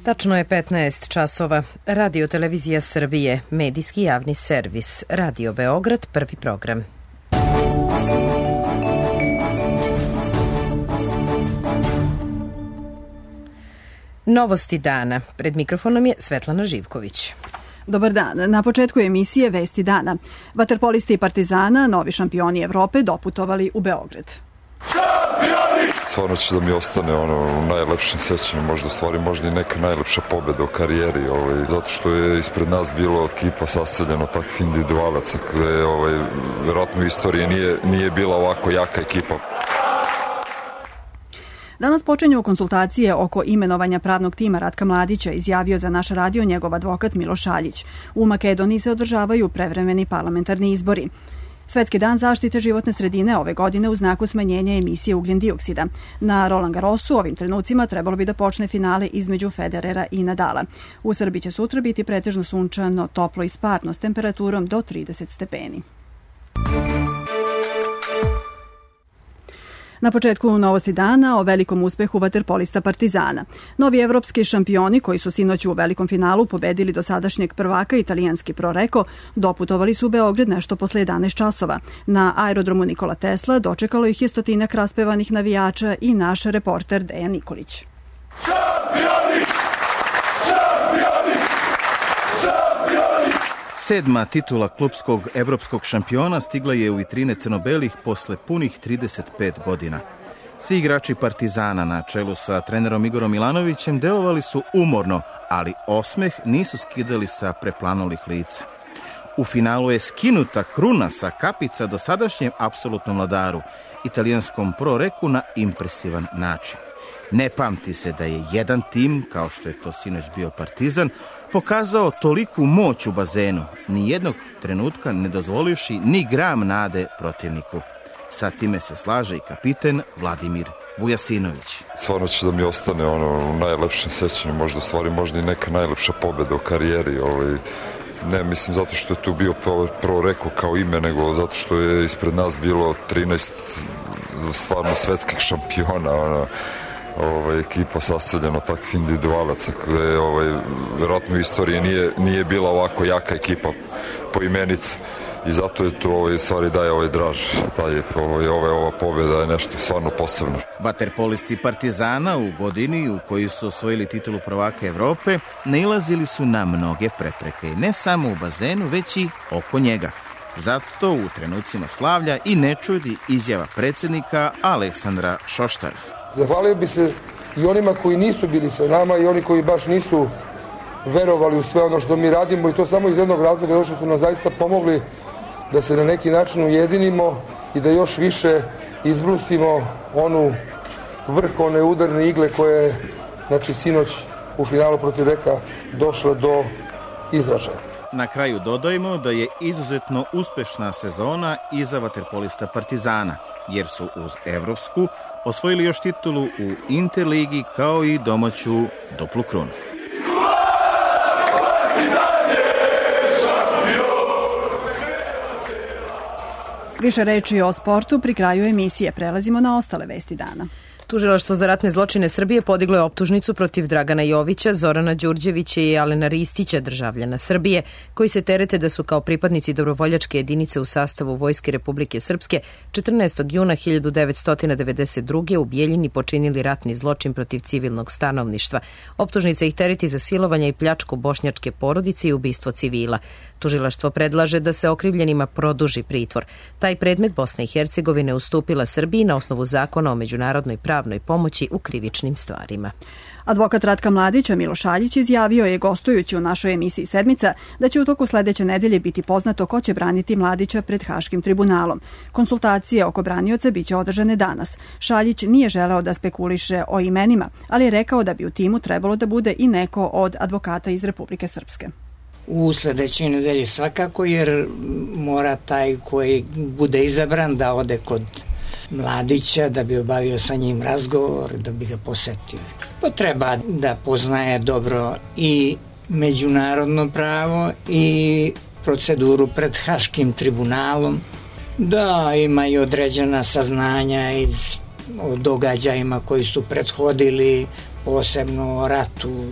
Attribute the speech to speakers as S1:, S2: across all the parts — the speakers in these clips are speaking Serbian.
S1: Tačno je 15 časova. Radio Televizija Srbije, medijski javni servis. Radio Beograd, prvi program. Novosti dana. Pred mikrofonom je Svetlana Živković.
S2: Dobar dan. Na početku emisije Vesti dana. Vaterpolisti Partizana, novi šampioni Evrope, doputovali u Beograd.
S3: Stvarno će da mi ostane u najlepšim sećanjima, možda i neka najlepša pobeda u karijeri, zato što je ispred nas bilo ekipa sastavljena takvih individualaca, gde verovatno u istoriji nije bila ovako jaka ekipa.
S2: Danas počinju konsultacije oko imenovanja pravnog tima Ratka Mladića, izjavio za naš radio njegov advokat Miloš Šaljić. U Makedoniji se održavaju prevremeni parlamentarni izbori. Svetski dan zaštite životne sredine ove godine u znaku smanjenja emisije ugljen dioksida. Na Roland Garrosu ovim trenucima trebalo bi da počne finale između Federera i Nadala. U Srbiji će sutra biti pretežno sunčano, toplo i sparno s temperaturom do 30 stepeni. Na početku novosti dana o velikom uspehu vaterpolista Partizana. Novi evropski šampioni koji su sinoć u velikom finalu pobedili dosadašnjeg prvaka italijanski Proreko, doputovali su u Beograd nešto posle 11 časova. Na aerodromu Nikola Tesla dočekalo ih je stotinak raspevanih navijača i naš reporter Dejan Nikolić.
S4: Šampioni! Šampioni! Šampioni! 7. titula klupskog evropskog šampiona stigla je u vitrine crno-belih posle punih 35 godina. Svi igrači Partizana na čelu sa trenerom Igorom Milanovićem delovali su umorno, ali osmeh nisu skidali sa preplanulih lica. U finalu je skinuta kruna sa kapica dosadašnjem apsolutnom vladaru, italijanskom Proreku, na impresivan način. Ne pamti se da je jedan tim, kao što je to sinoć bio Partizan, pokazao toliku moć u bazenu, ni jednog trenutka ne dozvolivši ni gram nade protivniku. Sa time se slaže i kapiten Vladimir Vujasinović.
S3: Stvarno će da mi ostane u najlepšim sećanjima, možda i neka najlepša pobeda u karijeri. Ne mislim zato što je tu bio Proreko kao ime, nego zato što je ispred nas bilo 13 stvarno svetskih šampiona, ekipa sastavljena takvih individualaca, gde verovatno u istoriji nije bila ovako jaka ekipa po imenici, i zato je tu stvari daje draž, ova pobjeda je nešto stvarno posebno.
S4: Vaterpolisti Partizana u godini u kojoj su osvojili titulu prvaka Evrope nailazili su na mnoge prepreke, ne samo u bazenu, već i oko njega. Zato u trenucima slavlja i ne čudi izjava predsjednika Aleksandra Šoštara.
S5: Zahvalio bi se i onima koji nisu bili sa nama i oni koji baš nisu verovali u sve ono što mi radimo, i to samo iz jednog razloga, što su nam zaista pomogli da se na neki način ujedinimo i da još više izbrusimo onu vrh, one udarne igle koje je sinoć u finalu protiv Reka došla do izražaja.
S4: Na kraju dodajmo da je izuzetno uspešna sezona i za vaterpolista Partizana, jer su uz evropsku osvojili još titulu u Interligi kao i domaću duplu krunu.
S2: Više reči o sportu pri kraju emisije. Prelazimo na ostale vesti dana.
S1: Tužilaštvo za ratne zločine Srbije podiglo je optužnicu protiv Dragana Jovića, Zorana Đurđevića i Alena Ristića, državljana Srbije, koji se terete da su kao pripadnici dobrovoljačke jedinice u sastavu Vojske Republike Srpske 14. juna 1992. u Bijeljini počinili ratni zločin protiv civilnog stanovništva. Optužnica ih tereti za silovanje i pljačku bošnjačke porodice i ubistvo civila. Tužilaštvo predlaže da se okrivljenima produži pritvor. Taj predmet Bosna i Hercegovina je ustupila Srbiji na osnovu zakona o međunarodnoj pravnoj pomoći u krivičnim stvarima.
S2: Advokat Ratka Mladića Miloš Šaljić izjavio je, gostujući u našoj emisiji Sedmica, da će u toku sledeće nedelje biti poznato ko će braniti Mladića pred Haškim tribunalom. Konsultacije oko branioca biće održane danas. Šaljić nije želeo da spekuliše o imenima, ali je rekao da bi u timu trebalo da bude i neko od advokata iz Republike Srpske.
S6: U sledećoj nedelji svakako, jer mora taj koji bude izabran da ode kod Mladića, da bi obavio sa njim razgovor, da bi ga posetio. Pa treba da poznaje dobro i međunarodno pravo i proceduru pred Haškim tribunalom, da ima i određena saznanja o događajima koji su prethodili, posebno o ratu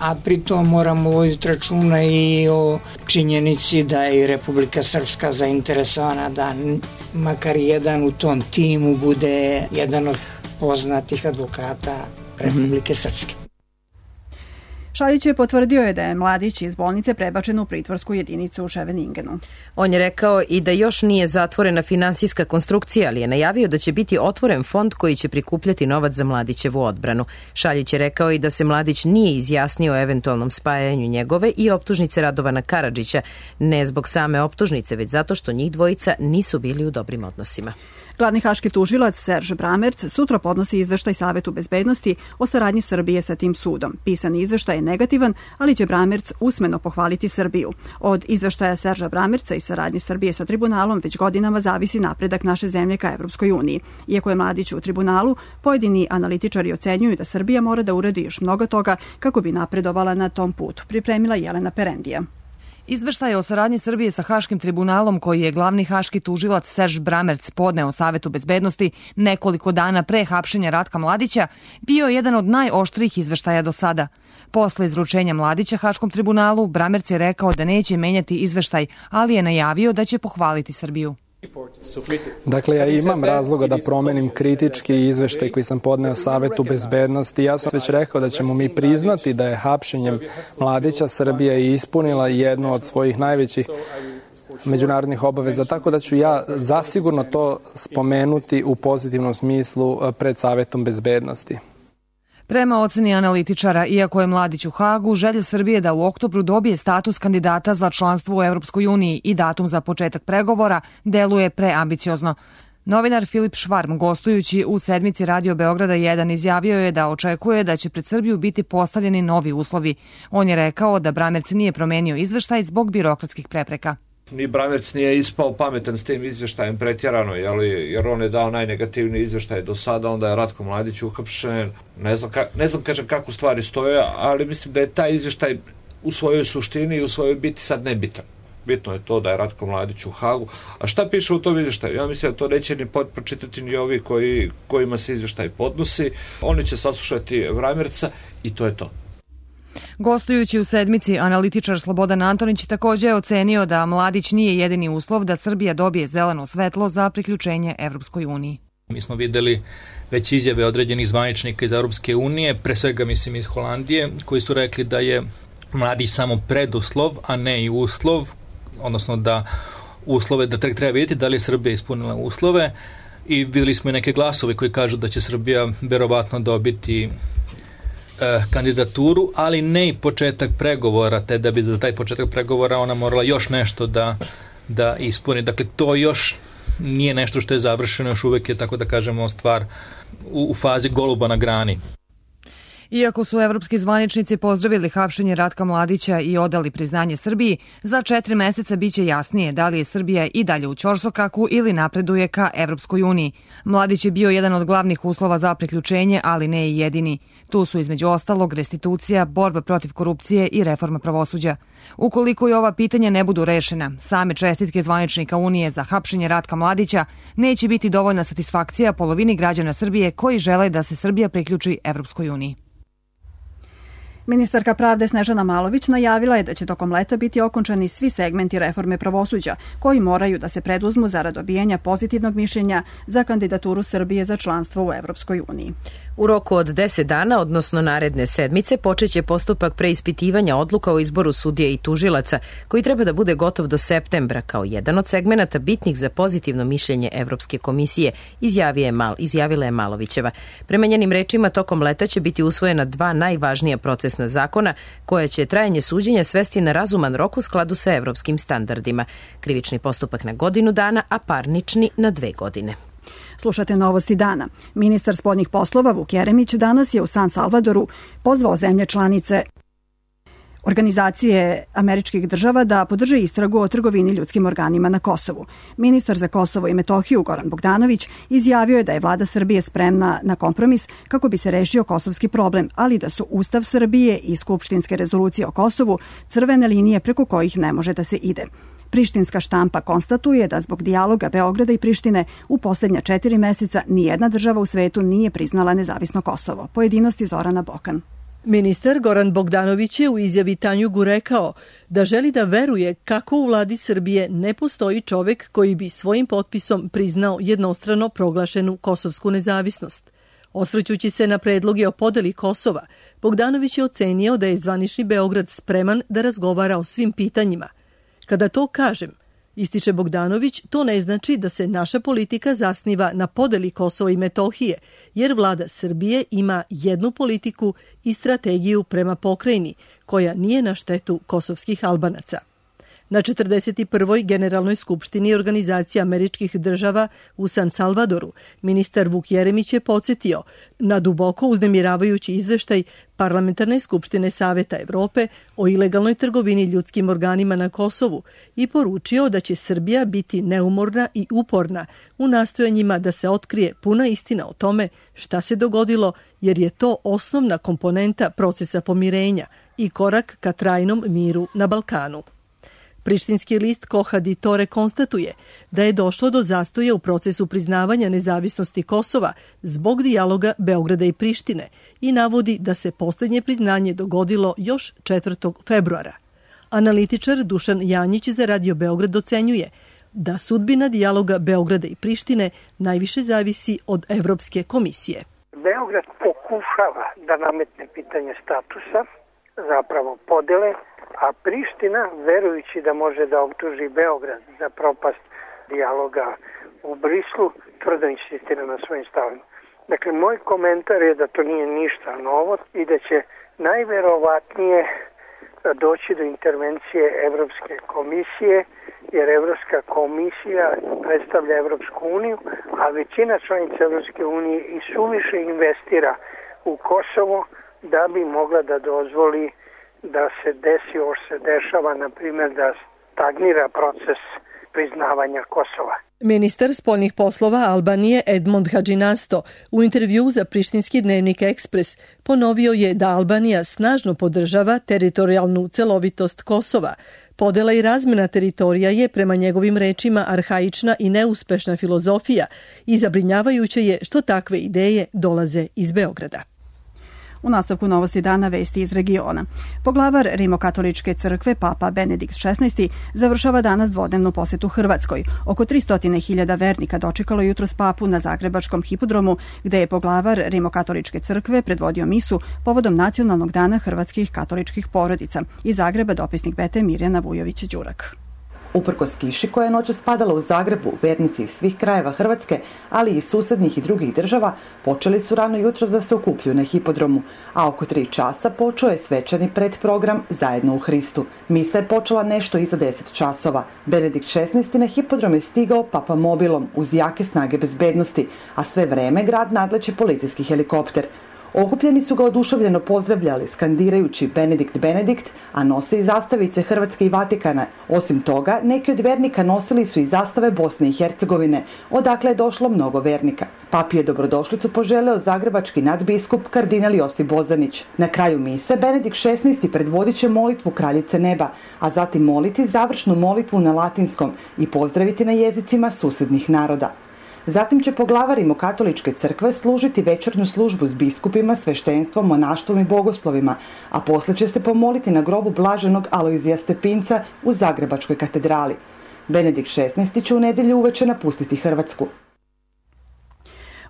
S6: a pritom moramo voditi računa i o činjenici da je Republika Srpska zainteresovana da makar jedan u tom timu bude jedan od poznatih advokata Republike Srpske.
S2: Šaljić je potvrdio da je mladić iz bolnice prebačen u pritvorsku jedinicu u Scheveningenu.
S1: On je rekao i da još nije zatvorena finansijska konstrukcija, ali je najavio da će biti otvoren fond koji će prikupljati novac za Mladićevu odbranu. Šaljić je rekao i da se Mladić nije izjasnio o eventualnom spajanju njegove i optužnice Radovana Karadžića, ne zbog same optužnice, već zato što njih dvojica nisu bili u dobrim odnosima.
S2: Glavni haški tužilac Serž Bramerc sutra podnosi izveštaj Savetu bezbednosti o saradnji Srbije sa tim sudom. Pisani izveštaj je negativan, ali će Bramerc usmeno pohvaliti Srbiju. Od izveštaja Serža Bramerca i saradnje Srbije sa tribunalom već godinama zavisi napredak naše zemlje ka Evropskoj uniji. Iako je Mladić u tribunalu, pojedini analitičari ocenjuju da Srbija mora da uradi još mnogo toga kako bi napredovala na tom putu. Pripremila Jelena Perendija.
S7: Izveštaj o saradnji Srbije sa Haškim tribunalom koji je glavni haški tužilac Serž Bramerc podneo Savetu bezbednosti nekoliko dana pre hapšenja Ratka Mladića bio je jedan od najoštrijih izveštaja do sada. Posle izručenja Mladića Haškom tribunalu, Bramerc je rekao da neće menjati izveštaj, ali je najavio da će pohvaliti Srbiju.
S8: Dakle, ja imam razloga da promenim kritički izveštaj koji sam podneo Savetu bezbednosti. Ja sam već rekao da ćemo mi priznati da je hapšenjem Mladića Srbija ispunila jednu od svojih najvećih međunarodnih obaveza, tako da ću ja zasigurno to spomenuti u pozitivnom smislu pred Savetom bezbednosti.
S7: Prema oceni analitičara, iako je Mladić u Hagu, želja Srbije da u oktobru dobije status kandidata za članstvo u Evropskoj uniji i datum za početak pregovora deluje preambiciozno. Novinar Filip Švarm, gostujući u sedmici Radio Beograda 1, izjavio je da očekuje da će pred Srbiju biti postavljeni novi uslovi. On je rekao da Bramerc nije promenio izveštaj zbog birokratskih prepreka.
S9: Ni Bramerc nije ispao pametan s tim izveštajem pretjerano, jer on je dao najnegativniji izveštaj do sada, onda je Ratko Mladić uhapšen. Ne znam kažem kako stvari stoje, ali mislim da je taj izveštaj u svojoj suštini i u svojoj biti sad nebitan. Bitno je to da je Ratko Mladić u Hagu. A šta piše u tom izveštaju? Ja mislim da to neće ni pročitati ni ovi kojima se izveštaj podnosi. Oni će saslušati Bramerca i to je to.
S7: Gostujući u sedmici, analitičar Slobodan Antonić također je ocenio da Mladić nije jedini uslov da Srbija dobije zeleno svetlo za priključenje Evropskoj uniji.
S10: Mi smo videli već izjave određenih zvaničnika iz Evropske unije, pre svega mislim iz Holandije, koji su rekli da je Mladić samo preduslov, a ne i uslov, odnosno da uslove, da treba vidjeti da li je Srbija ispunila uslove, i videli smo i neke glasove koji kažu da će Srbija verovatno dobiti kandidaturu, ali ne i početak pregovora, te da bi za taj početak pregovora ona morala još nešto da ispuni. Dakle, to još nije nešto što je završeno, još uvijek je, tako da kažemo, stvar u fazi goluba na grani.
S7: Iako su evropski zvaničnici pozdravili hapšenje Ratka Mladića i odali priznanje Srbiji, za 4 meseca biće jasnije da li je Srbija i dalje u ćorsokaku ili napreduje ka Evropskoj uniji. Mladić je bio jedan od glavnih uslova za priključenje, ali ne i jedini. Tu su između ostalog restitucija, borba protiv korupcije i reforma pravosuđa. Ukoliko i ova pitanja ne budu rešena, same čestitke zvaničnika Unije za hapšenje Ratka Mladića neće biti dovoljna satisfakcija polovini građana Srbije koji žele da se Srbija priključi Evropskoj uniji.
S2: Ministarka pravde Snežana Malović najavila je da će tokom leta biti okončani svi segmenti reforme pravosuđa koji moraju da se preduzmu zarad dobijanja pozitivnog mišljenja za kandidaturu Srbije za članstvo u Evropskoj uniji.
S1: U roku od 10 dana, odnosno naredne sedmice, počeće postupak preispitivanja odluka o izboru sudija i tužilaca, koji treba da bude gotov do septembra kao jedan od segmenata bitnih za pozitivno mišljenje Evropske komisije, izjavila je Malovićeva. Prema njenim rečima, tokom leta će biti usvojena 2 najvažnija procesna zakona koja će trajanje suđenja svesti na razuman rok u skladu sa evropskim standardima. Krivični postupak na godinu dana, a parnični na 2 godine.
S2: Slušate Novosti dana. Ministar spoljnih poslova Vuk Jeremić danas je u San Salvadoru pozvao zemlje članice Organizacije američkih država da podrže istragu o trgovini ljudskim organima na Kosovu. Ministar za Kosovo i Metohiju Goran Bogdanović izjavio je da je vlada Srbije spremna na kompromis kako bi se rešio kosovski problem, ali da su Ustav Srbije i skupštinske rezolucije o Kosovu crvene linije preko kojih ne može da se ide. Prištinska štampa konstatuje da zbog dijaloga Beograda i Prištine u posljednja 4 meseca nijedna država u svetu nije priznala nezavisno Kosovo. Pojedinosti Zorana Bokan.
S11: Ministar Goran Bogdanović je u izjavi Tanjugu rekao da želi da veruje kako u vladi Srbije ne postoji čovek koji bi svojim potpisom priznao jednostrano proglašenu kosovsku nezavisnost. Osvrćući se na predloge o podeli Kosova, Bogdanović je ocenio da je zvanični Beograd spreman da razgovara o svim pitanjima. Kada to kažem, ističe Bogdanović, to ne znači da se naša politika zasniva na podeli Kosova i Metohije, jer vlada Srbije ima jednu politiku i strategiju prema pokrajini, koja nije na štetu kosovskih Albanaca. Na 41. Generalnoj skupštini Organizacije američkih država u San Salvadoru, ministar Vuk Jeremić je podsjetio na duboko uznemiravajući izveštaj Parlamentarne skupštine Saveta Evrope o ilegalnoj trgovini ljudskim organima na Kosovu i poručio da će Srbija biti neumorna i uporna u nastojanjima da se otkrije puna istina o tome šta se dogodilo, jer je to osnovna komponenta procesa pomirenja i korak ka trajnom miru na Balkanu. Prištinski list Koha di Tore konstatuje da je došlo do zastoja u procesu priznavanja nezavisnosti Kosova zbog dijaloga Beograda i Prištine i navodi da se posljednje priznanje dogodilo još 4. februara. Analitičar Dušan Janjić za Radio Beograd ocenjuje da sudbina dijaloga Beograda i Prištine najviše zavisi od Evropske komisije.
S12: Beograd pokušava da nametne pitanje statusa, zapravo podele, a Priština, verujući da može da optuži Beograd za propast dijaloga u Brislu, tvrdo insistira na svojim stavima. Dakle, moj komentar je da to nije ništa novo i da će najverovatnije doći do intervencije Evropske komisije, jer Evropska komisija predstavlja Evropsku uniju, a većina članica Evropske unije i suviše investira u Kosovo da bi mogla da dozvoli da se desi ovo što se dešava, na primjer da stagnira proces priznavanja Kosova.
S11: Ministar spoljnih poslova Albanije Edmond Hadžinasto u intervju za prištinski dnevnik Ekspres ponovio je da Albanija snažno podržava teritorijalnu celovitost Kosova. Podela i razmena teritorija je prema njegovim rečima arhaična i neuspešna filozofija i zabrinjavajuće je što takve ideje dolaze iz Beograda.
S2: U nastavku novosti dana vesti iz regiona. Poglavar Rimokatoličke crkve Papa Benedikt XVI završava danas dvodnevnu posetu Hrvatskoj. Oko 300.000 vernika dočekalo jutros papu na Zagrebačkom hipodromu, gde je poglavar Rimokatoličke crkve predvodio misu povodom Nacionalnog dana hrvatskih katoličkih porodica. Iz Zagreba dopisnik BT Mirjana Vujović-Đurak.
S13: Uprkos kiši koja je noćas padala u Zagrebu, vernici iz svih krajeva Hrvatske, ali i iz susednih i drugih država, počeli su rano jutros da se okupljuju na hipodromu, a oko 3 časa počeo je svečani predprogram Zajedno u Hristu. Misa je počela nešto iza 10 časova. Benedikt XVI na hipodrom je stigao papamobilom uz jake snage bezbednosti, a sve vreme grad nadleće policijski helikopter. Okupljeni su ga oduševljeno pozdravljali, skandirajući Benedikt, Benedikt, a nose i zastavice Hrvatske i Vatikana. Osim toga, neki od vernika nosili su i zastave Bosne i Hercegovine, odakle je došlo mnogo vernika. Papi je dobrodošlicu poželeo zagrebački nadbiskup kardinal Josip Bozanić. Na kraju mise Benedikt XVI predvodit će molitvu Kraljice neba, a zatim moliti završnu molitvu na latinskom i pozdraviti na jezicima susednih naroda. Zatim će poglavar Rimokatoličke crkve služiti večernju službu s biskupima, sveštenstvom, monaštvom i bogoslovima, a posle će se pomoliti na grobu blaženog Alojzija Stepinca u Zagrebačkoj katedrali. Benedikt XVI će u nedelju uveče napustiti Hrvatsku.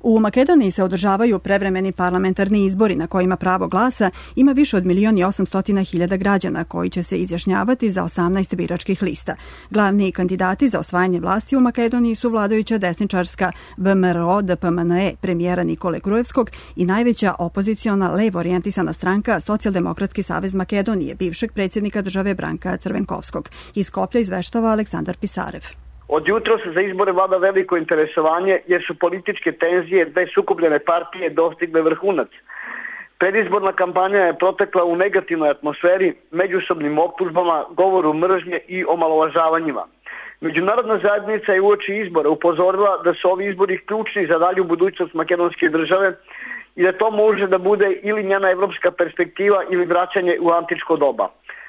S2: U Makedoniji se održavaju prevremeni parlamentarni izbori na kojima pravo glasa ima više od 1.800.000 građana koji će se izjašnjavati za 18 biračkih lista. Glavni kandidati za osvajanje vlasti u Makedoniji su vladajuća desničarska VMRO DPMNE premijera Nikole Grujevskog i najveća opoziciona levo orijentisana stranka Socijaldemokratski savez Makedonije, bivšeg predsjednika države Branka Crvenkovskog. Iz Skoplja izveštava Aleksandar Pisarev.
S14: Od jutros za izbore vlada veliko interesovanje jer su političke tenzije dve sukobljene partije dostigle vrhunac. Predizborna kampanja je protekla u negativnoj atmosferi, međusobnim optužbama, govoru mržnje i omalovažavanjima. Međunarodna zajednica je uoči izbora upozorila da su ovi izbori ključni za dalju budućnost makedonske države i da to može da bude ili njena evropska perspektiva ili vraćanje u antičko doba.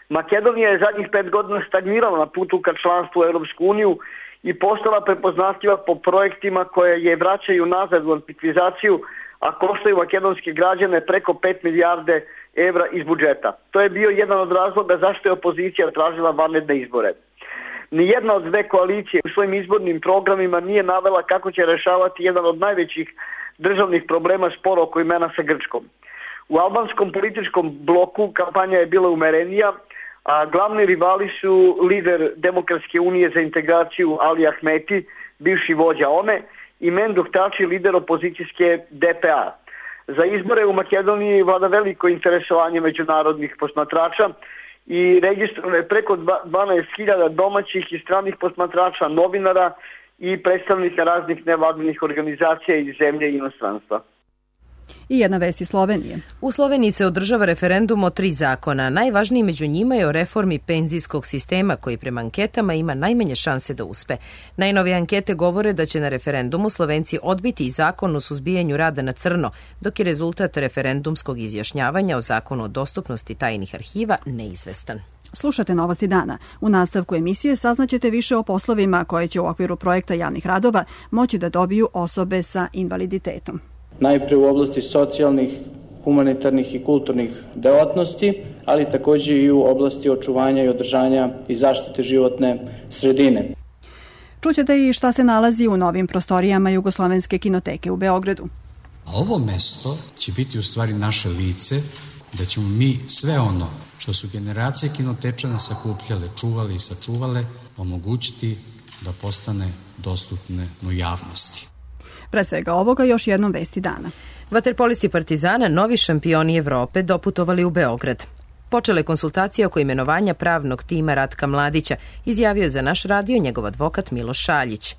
S14: Makedonija je zadnjih 5 godina stagnirala na putu ka članstvu u Europsku uniju i postala prepoznatljiva po projektima koje je vraćaju nazad u antikvizaciju, a koštaju makedonske građane preko 5 milijarde evra iz budžeta. To je bio jedan od razloga zašto je opozicija tražila vanredne izbore. Nijedna od dve koalicije u svojim izbornim programima nije navela kako će rešavati jedan od najvećih državnih problema, spor oko imena sa Grčkom. U albanskom političkom bloku kampanja je bila umerenija, a glavni rivali su lider Demokratske unije za integraciju Ali Ahmeti, bivši vođa OME, i Menduk Tači, lider opozicijske DPA. Za izbore u Makedoniji vlada veliko interesovanje međunarodnih posmatrača i registrovano je preko 12.000 domaćih i stranih posmatrača, novinara i predstavnika raznih nevladinih organizacija iz zemlje i inostranstva.
S2: I jedna vest iz Slovenije.
S1: U Sloveniji se održava referendum o 3 zakona. Najvažniji među njima je o reformi penzijskog sistema koji prema anketama ima najmanje šanse da uspe. Najnovije ankete govore da će na referendumu Slovenci odbiti i zakon o suzbijanju rada na crno, dok je rezultat referendumskog izjašnjavanja o zakonu o dostupnosti tajnih arhiva neizvestan.
S2: Slušate Novosti dana. U nastavku emisije saznaćete više o poslovima koje će u okviru projekta javnih radova moći da dobiju osobe sa invaliditetom.
S15: Najpre u oblasti socijalnih, humanitarnih i kulturnih delatnosti, ali takođe i u oblasti očuvanja i održanja i zaštite životne sredine.
S2: Čućete i šta se nalazi u novim prostorijama Jugoslovenske kinoteke u Beogradu.
S16: A ovo mesto će biti u stvari naše lice, da ćemo mi sve ono što su generacije kinotečana sakupljale, čuvale i sačuvale, omogućiti da postane dostupne u javnosti.
S2: Pre svega ovoga još jednom vesti dana.
S1: Vaterpolisti Partizana, novi šampioni Evrope, doputovali u Beograd. Počele konsultacije oko imenovanja pravnog tima Ratka Mladića, izjavio za naš radio njegov advokat Miloš Šaljić.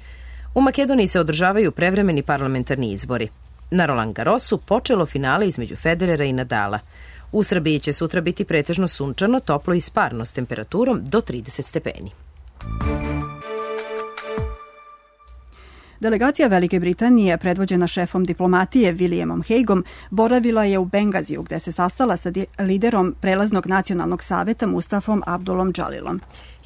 S1: U Makedoniji se održavaju prevremeni parlamentarni izbori. Na Roland Garrosu počelo finale između Federera i Nadala. U Srbiji će sutra biti pretežno sunčano, toplo i sparno s temperaturom do 30 stepeni.
S2: Delegacija Velike Britanije, predvođena šefom diplomatije Williamom Hagueom, boravila je u Bengaziju, gde se sastala sa liderom prelaznog nacionalnog saveta Mustafom Abdulom Džalilom.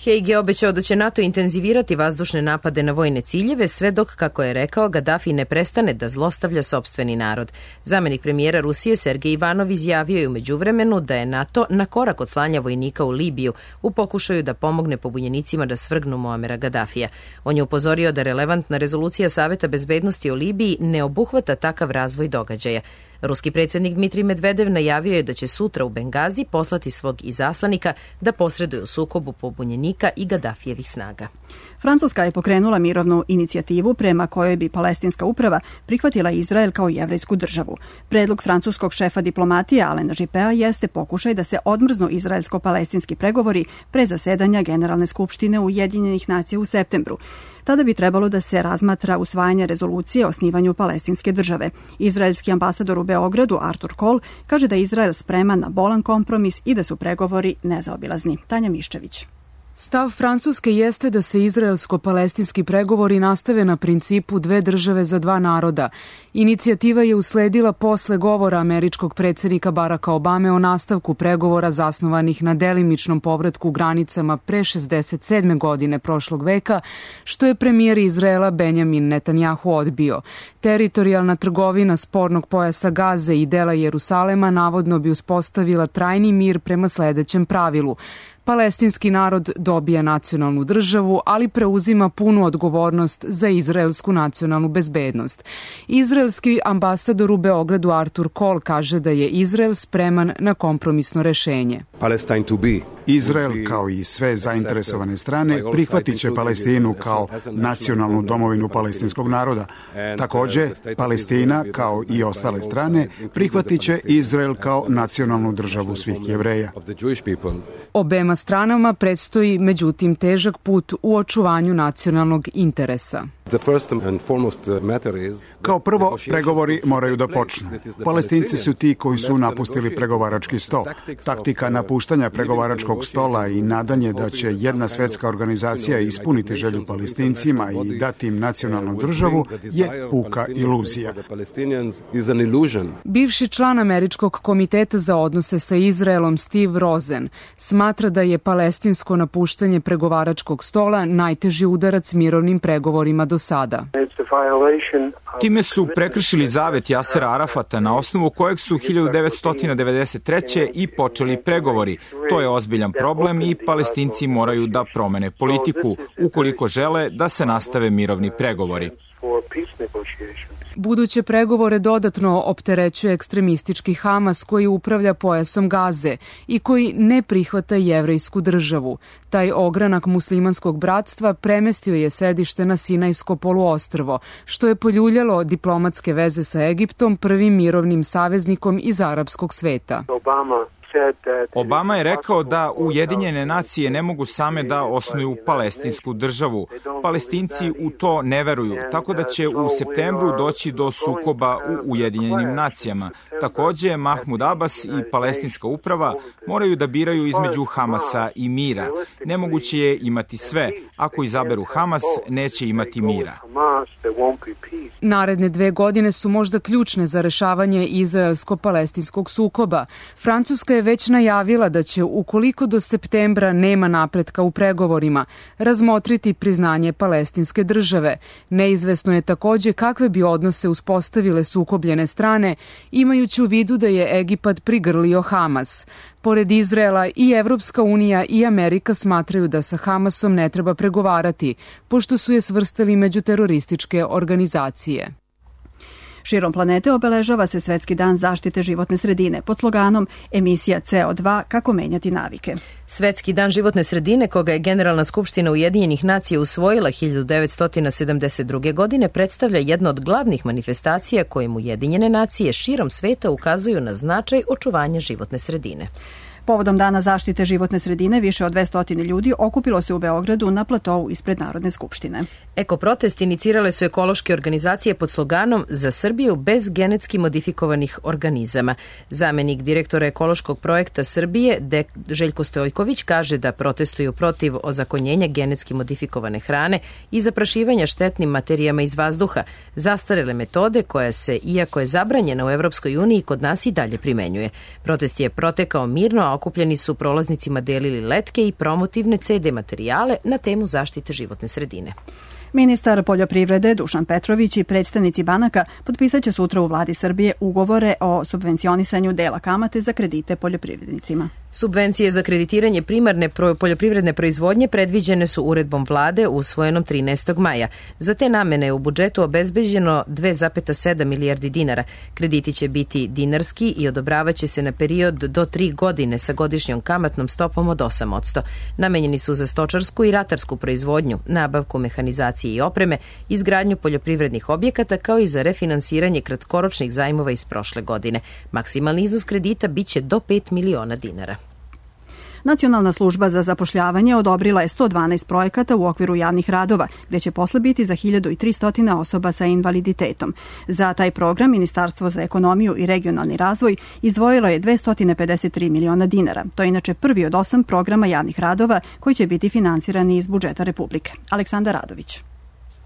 S1: Hague je obećao da će NATO intenzivirati vazdušne napade na vojne ciljeve sve dok, kako je rekao, Gaddafi ne prestane da zlostavlja sopstveni narod. Zamenik premijera Rusije Sergej Ivanov izjavio je u međuvremenu da je NATO na korak od slanja vojnika u Libiju u pokušaju da pomogne pobunjenicima da svrgnu Muamera Gaddafija. On je upozorio da relevantna rezolucija Saveta bezbednosti o Libiji ne obuhvata takav razvoj događaja. Ruski predsjednik Dmitrij Medvedev najavio je da će sutra u Bengazi poslati svog izaslanika da posreduje u sukobu pobunjenika i Gaddafijevih snaga.
S2: Francuska je pokrenula mirovnu inicijativu prema kojoj bi palestinska uprava prihvatila Izrael kao jevrejsku državu. Predlog francuskog šefa diplomatije Alena Juppea jeste pokušaj da se odmrznu izraelsko-palestinski pregovori pre zasedanja Generalne skupštine Ujedinjenih nacija u septembru. Tada bi trebalo da se razmatra usvajanje rezolucije o osnivanju palestinske države. Izraelski ambasador u Beogradu Artur Kol kaže da je Izrael spreman na bolan kompromis i da su pregovori nezaobilazni. Tanja Miščević.
S17: Stav Francuske jeste da se izraelsko-palestinski pregovori nastave na principu dve države za dva naroda. Inicijativa je usledila posle govora američkog predsjednika Baracka Obame o nastavku pregovora zasnovanih na delimičnom povratku granicama pre 67. godine prošlog veka, što je premijer Izraela Benjamin Netanjahu odbio. Teritorijalna trgovina spornog pojasa Gaze i dela Jerusalema navodno bi uspostavila trajni mir prema sledećem pravilu. Palestinski narod dobija nacionalnu državu, ali preuzima punu odgovornost za izraelsku nacionalnu bezbednost. Izraelski ambasador u Beogradu Artur Kol kaže da je Izrael spreman na kompromisno rešenje.
S18: Izrael, kao i sve zainteresovane strane, prihvatit će Palestinu kao nacionalnu domovinu palestinskog naroda. Takođe, Palestina, kao i ostale strane, prihvatit će Izrael kao nacionalnu državu svih Jevreja.
S17: Obema stranama predstoji, međutim, težak put u očuvanju nacionalnog interesa.
S18: Kao prvo, pregovori moraju da počnu. Palestinci su ti koji su napustili pregovarački sto. Taktika napuštanja pregovaračkog okruglog stola i nadanje da će jedna svetska organizacija ispuniti želju Palestincima i dati im nacionalnu državu je puka iluzija.
S17: Bivši član Američkog komiteta za odnose sa Izraelom Steve Rosen smatra da je palestinsko napuštanje pregovaračkog stola najteži udarac mirovnim pregovorima do sada.
S19: Time su prekršili zavet Jasera Arafata na osnovu kojeg su 1993. i počeli pregovori. To je ozbiljan problem i Palestinci moraju da promene politiku ukoliko žele da se nastave mirovni pregovori.
S17: Buduće pregovore dodatno opterećuje ekstremistički Hamas koji upravlja pojasom Gaze i koji ne prihvata jevrejsku državu. Taj ogranak muslimanskog bratstva premestio je sedište na Sinajsko poluostrvo, što je poljuljalo diplomatske veze sa Egiptom, prvim mirovnim saveznikom iz arapskog sveta.
S19: Obama je rekao da Ujedinjene nacije ne mogu same da osnuju palestinsku državu. Palestinci u to ne veruju, tako da će u septembru doći do sukoba u Ujedinjenim nacijama. Takođe, Mahmud Abbas i palestinska uprava moraju da biraju između Hamasa i mira. Nemoguće je imati sve. Ako izaberu Hamas, neće imati mira.
S17: Naredne 2 godine su možda ključne za rešavanje izraelsko-palestinskog sukoba. Francuska je već najavila da će, ukoliko do septembra nema napretka u pregovorima, razmotriti priznanje palestinske države. Neizvesno je takođe kakve bi odnose uspostavile sukobljene strane, imajući u vidu da je Egipat prigrlio Hamas. Pored Izraela i Evropska unija i Amerika smatraju da sa Hamasom ne treba pregovarati, pošto su je svrstali među terorističke organizacije.
S2: Širom planete obeležava se Svetski dan zaštite životne sredine pod sloganom Emisija CO2 – kako menjati navike.
S1: Svetski dan životne sredine, koga je Generalna skupština Ujedinjenih nacija usvojila 1972. godine, predstavlja jedno od glavnih manifestacija kojim Ujedinjene nacije širom sveta ukazuju na značaj očuvanja životne sredine.
S2: Povodom Dana zaštite životne sredine više od 200 ljudi okupilo se u Beogradu na platovu ispred Narodne skupštine.
S1: Ekoprotest inicirale su ekološke organizacije pod sloganom Za Srbiju bez genetski modifikovanih organizama. Zamenik direktora ekološkog projekta Srbije, Željko Stojković, kaže da protestuju protiv ozakonjenja genetski modifikovane hrane i zaprašivanja štetnim materijama iz vazduha, zastarele metode koja se, iako je zabranjena u Evropskoj uniji, kod nas i dalje primenjuje. Protest je protekao mirno, a okupljeni su prolaznicima delili letke i promotivne CD materijale na temu zaštite životne sredine.
S2: Ministar poljoprivrede Dušan Petrović i predstavnici banaka potpisat će sutra u vladi Srbije ugovore o subvencionisanju dela kamate za kredite poljoprivrednicima.
S1: Subvencije za kreditiranje primarne poljoprivredne proizvodnje predviđene su uredbom vlade usvojenom 13. maja. Za te namene je u budžetu obezbeđeno 2,7 milijardi dinara. Krediti će biti dinarski i odobravaće se na period do 3 godine sa godišnjom kamatnom stopom od 8%. Namenjeni su za stočarsku i ratarsku proizvodnju, nabavku mehanizacije i opreme, izgradnju poljoprivrednih objekata kao i za refinansiranje kratkoročnih zajmova iz prošle godine. Maksimalni iznos kredita biće do 5 miliona dinara.
S2: Nacionalna služba za zapošljavanje odobrila je 112 projekata u okviru javnih radova, gde će posle biti za 1300 osoba sa invaliditetom. Za taj program Ministarstvo za ekonomiju i regionalni razvoj izdvojilo je 253 miliona dinara. To je inače prvi od 8 programa javnih radova koji će biti finansirani iz budžeta Republike. Aleksandar Radović.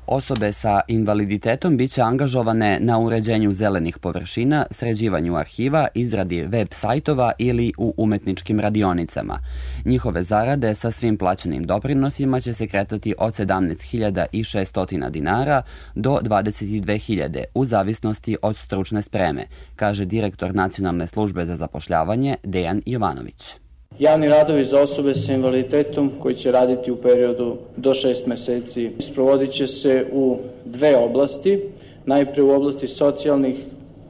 S20: Osobe sa invaliditetom biće angažovane na uređenju zelenih površina, sređivanju arhiva, izradi web sajtova ili u umetničkim radionicama. Njihove zarade sa svim plaćenim doprinosima će se kretati od 17.600 dinara do 22.000 u zavisnosti od stručne spreme, kaže direktor Nacionalne službe za zapošljavanje Dejan Jovanović.
S15: Javni radovi za osobe sa invaliditetom koji će raditi u periodu do 6 meseci sprovodit će se u 2 oblasti. Najpre u oblasti socijalnih,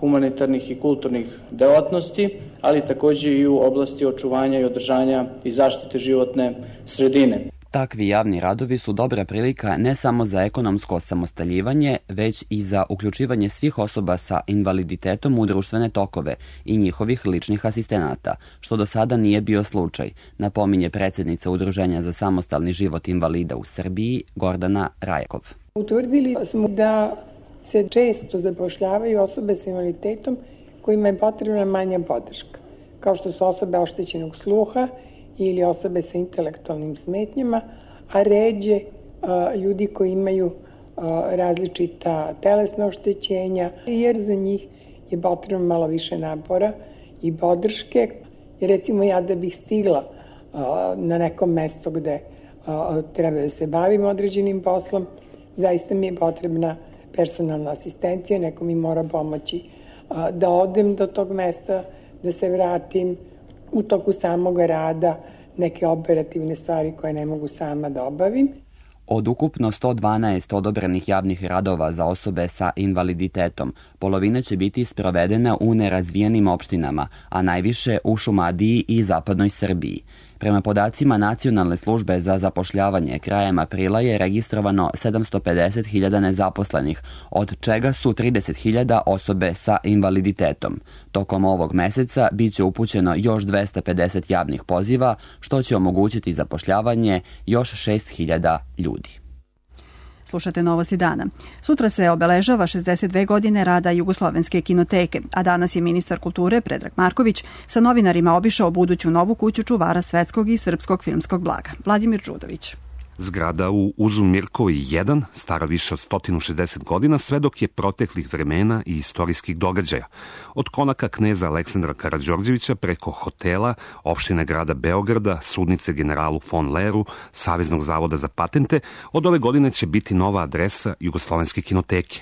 S15: humanitarnih i kulturnih delatnosti, ali takođe i u oblasti očuvanja i održanja i zaštite životne sredine.
S20: Takvi javni radovi su dobra prilika ne samo za ekonomsko osamostaljivanje, već i za uključivanje svih osoba sa invaliditetom u društvene tokove i njihovih ličnih asistenata, što do sada nije bio slučaj, napominje predsjednica Udruženja za samostalni život invalida u Srbiji, Gordana Rajakov.
S21: Utvrdili smo da se često zapošljavaju osobe sa invaliditetom kojima je potrebna manja podrška, kao što su osobe oštećenog sluha ili osobe sa intelektualnim smetnjama, a ređe ljudi koji imaju različita telesna oštećenja, jer za njih je potrebno malo više napora i podrške. Jer recimo ja da bih stigla na nekom mesto gde treba da se bavim određenim poslom, zaista mi je potrebna personalna asistencija, neko mi mora pomoći da odem do tog mesta, da se vratim u toku samog rada, neke operativne stvari koje ne mogu sama da obavim.
S20: Od ukupno 112 odobrenih javnih radova za osobe sa invaliditetom, polovina će biti sprovedena u nerazvijenim opštinama, a najviše u Šumadiji i zapadnoj Srbiji. Prema podacima Nacionalne službe za zapošljavanje, krajem aprila je registrovano 750.000 nezaposlenih, od čega su 30.000 osobe sa invaliditetom. Tokom ovog meseca biće upućeno još 250 javnih poziva, što će omogućiti zapošljavanje još 6.000 ljudi.
S2: Slušate Novosti dana. Sutra se obeležava 62 godine rada Jugoslovenske kinoteke, a danas je ministar kulture Predrag Marković sa novinarima obišao buduću novu kuću čuvara svetskog i srpskog filmskog blaga. Vladimir Đudović.
S3: Zgrada u Uzu Mirkovi 1, stara više od 160 godina, svedok je proteklih vremena i istorijskih događaja. Od konaka kneza Aleksandra Karađorđevića preko hotela, opštine grada Beograda, sudnice generalu von Leru, Saveznog zavoda za patente, od ove godine će biti nova adresa Jugoslovenske kinoteke.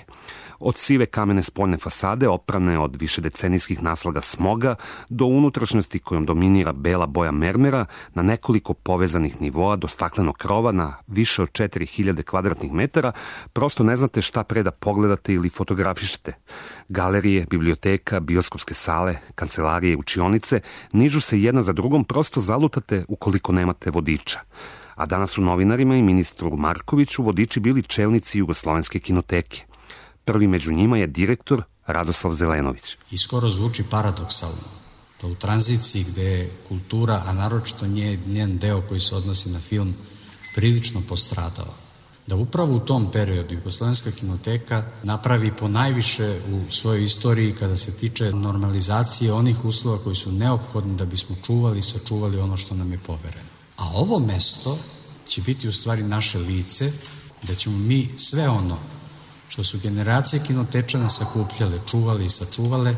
S3: Od sive kamene spoljne fasade, oprane od višedecenijskih naslaga smoga, do unutrašnjosti kojom dominira bela boja mermera, na nekoliko povezanih nivoa do staklenog krova na više od 4000 kvadratnih metara, prosto ne znate šta pre da pogledate ili fotografišete. Galerije, biblioteka, bioskopske sale, kancelarije, učionice nižu se jedna za drugom, prosto zalutate ukoliko nemate vodiča. A danas su novinarima i ministru Markoviću vodiči bili čelnici Jugoslovenske kinoteke. Prvi među njima je direktor Radoslav Zelenović.
S16: I skoro zvuči paradoksalno da u tranziciji gde je kultura, a naročito njen deo koji se odnosi na film, prilično postradao, da upravo u tom periodu Jugoslovenska kinoteka napravi po najviše u svojoj istoriji kada se tiče normalizacije onih uslova koji su neophodni da bismo čuvali i sačuvali ono što nam je povereno. A ovo mesto će biti u stvari naše lice, da ćemo mi sve ono što su generacije kinotečana sakupljale, čuvali i sačuvale,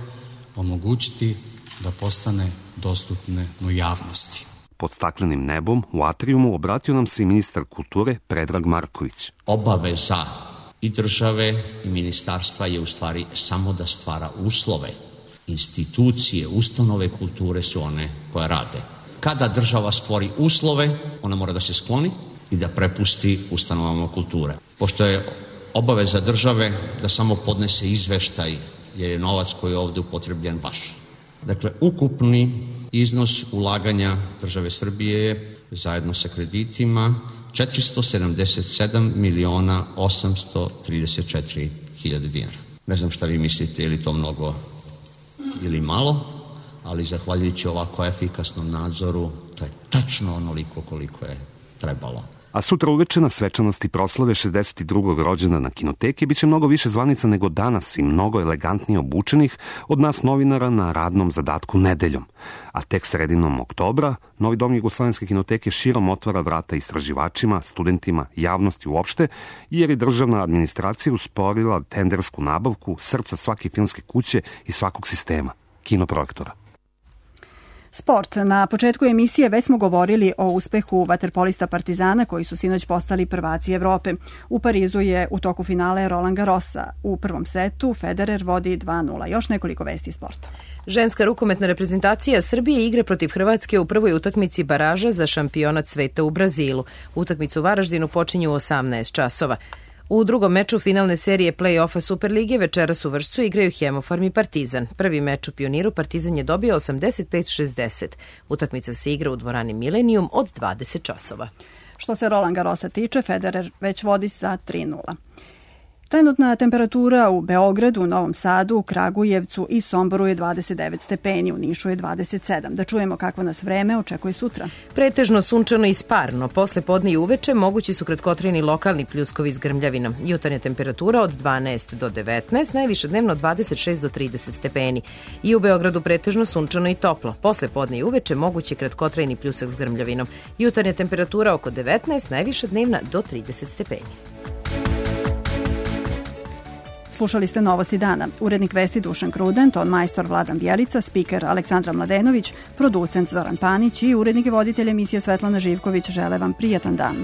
S16: omogućiti da postane dostupne u javnosti.
S3: Pod staklenim nebom u atrijumu obratio nam se i ministar kulture Predrag Marković.
S22: Obaveza i države i ministarstva je u stvari samo da stvara uslove. Institucije, ustanove kulture su one koje rade. Kada država stvori uslove, ona mora da se skloni i da prepusti ustanovama kulture. Pošto je obaveza države da samo podnese izveštaj, jer je novac koji je ovde upotrebljen vaš. Dakle, ukupni iznos ulaganja države Srbije je, zajedno sa kreditima, 477.834.000 dinara. Ne znam šta vi mislite, je li to mnogo ili malo, ali zahvaljujući ovako efikasnom nadzoru, to je tačno onoliko koliko je trebalo.
S3: A sutra uveče na svečanosti proslave 62. rođendana kinoteke biće mnogo više zvanica nego danas i mnogo elegantnije obučenih od nas novinara na radnom zadatku nedeljom. A tek sredinom oktobra novi dom Jugoslovenske kinoteke širom otvara vrata istraživačima, studentima, javnosti uopšte, jer je državna administracija usporila tendersku nabavku srca svake filmske kuće i svakog sistema, kinoprojektora.
S2: Sport. Na početku emisije već smo govorili o uspehu vaterpolista Partizana koji su sinoć postali prvaci Evrope. U Parizu je u toku finale Roland Garrosa. U prvom setu Federer vodi 2:0. Još nekoliko vesti sporta.
S1: Ženska rukometna reprezentacija Srbije igre protiv Hrvatske u prvoj utakmici baraža za šampionat sveta u Brazilu. Utakmicu u Varaždinu počinju u 18 časova. U drugom meču finalne serije play-offa Superlige večeras u Vršcu igraju Hemofarm i Partizan. Prvi meč u Pioniru Partizan je dobio 85-60. Utakmica se igra u dvorani Milenijum od 20 časova.
S2: Što se Roland Garrosa tiče, Federer već vodi sa 3:0. Trenutna temperatura u Beogradu, Novom Sadu, Kragujevcu i Somboru je 29 stepeni, u Nišu je 27. Da čujemo kakvo nas vreme očekuje sutra.
S1: Pretežno sunčano i sparno. Posle podne i uveče mogući su kratkotrajni lokalni pljuskovi s grmljavinom. Jutarnja temperatura od 12 do 19, najviše dnevno 26 do 30 stepeni. I u Beogradu pretežno sunčano i toplo. Posle podne i uveče mogući kratkotrajni pljusak s grmljavinom. Jutarnja temperatura oko 19, najviše dnevna do 30 stepeni.
S2: Slušali ste Novosti dana. Urednik vesti Dušan Kruden, ton majstor Vladan Bjelica, spiker Aleksandra Mladenović, producent Zoran Panić i urednik i voditelj emisije Svetlana Živković žele vam prijatan dan.